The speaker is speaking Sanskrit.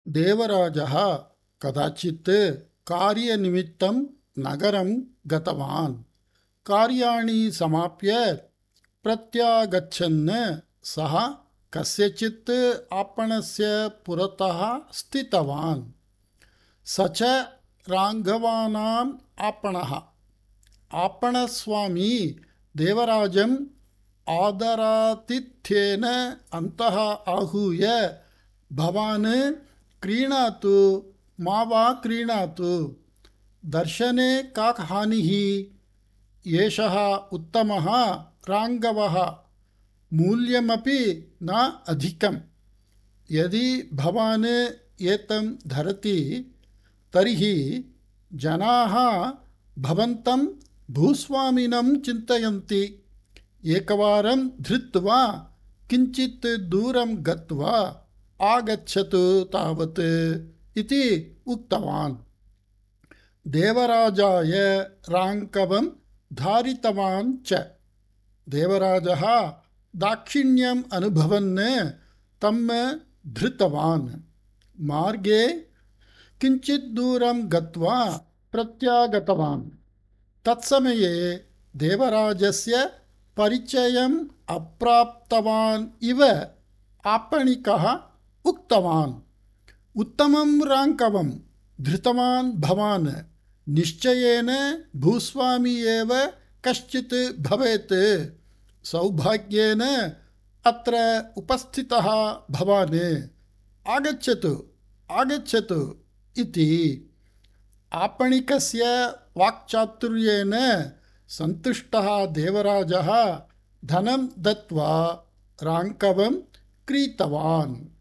देवराजः कदाचित् कार्यनिमित्तं नगरं गतवान्। कार्याणि समाप्य प्रत्यागच्छन् सः कस्यचित् आपणस्य पुरतः स्थितवान्। स च राघवानाम् आपणः। आपणस्वामी देवराजम् आदरातिथ्येन अन्तः आहूय भवान् क्रीणातु मा वा क्रीणातु, दर्शने का हानिः, एषः उत्तमः राङ्गवः, मूल्यमपि न अधिकम्, यदि भवान् एतं धरति तर्हि जनाः भवन्तं भूस्वामिनं चिन्तयन्ति। एकवारं धृत्वा किञ्चित् दूरं गत्वा आगच्छतु तावत् इति उक्तवान्। देवराजाय राङ्कवं धारितवान् च। देवराजः दाक्षिण्यम् अनुभवन् तं धृतवान्। मार्गे किञ्चित् दूरं गत्वा प्रत्यागतवान्। तत्समये देवराजस्य परिचयम् अप्राप्तवान् इव आपणिकः उक्तवान्, उत्तमं राङ्कवं धृतवान् भवान्, निश्चयेन भूस्वामी एव कश्चित् भवेत्, सौभाग्येन अत्र उपस्थितः भवान्, आगच्छतु आगच्छतु इति। आपणिकस्य वाक्चातुर्येण सन्तुष्टः देवराजः धनं दत्त्वा राङ्कवं क्रीतवान्।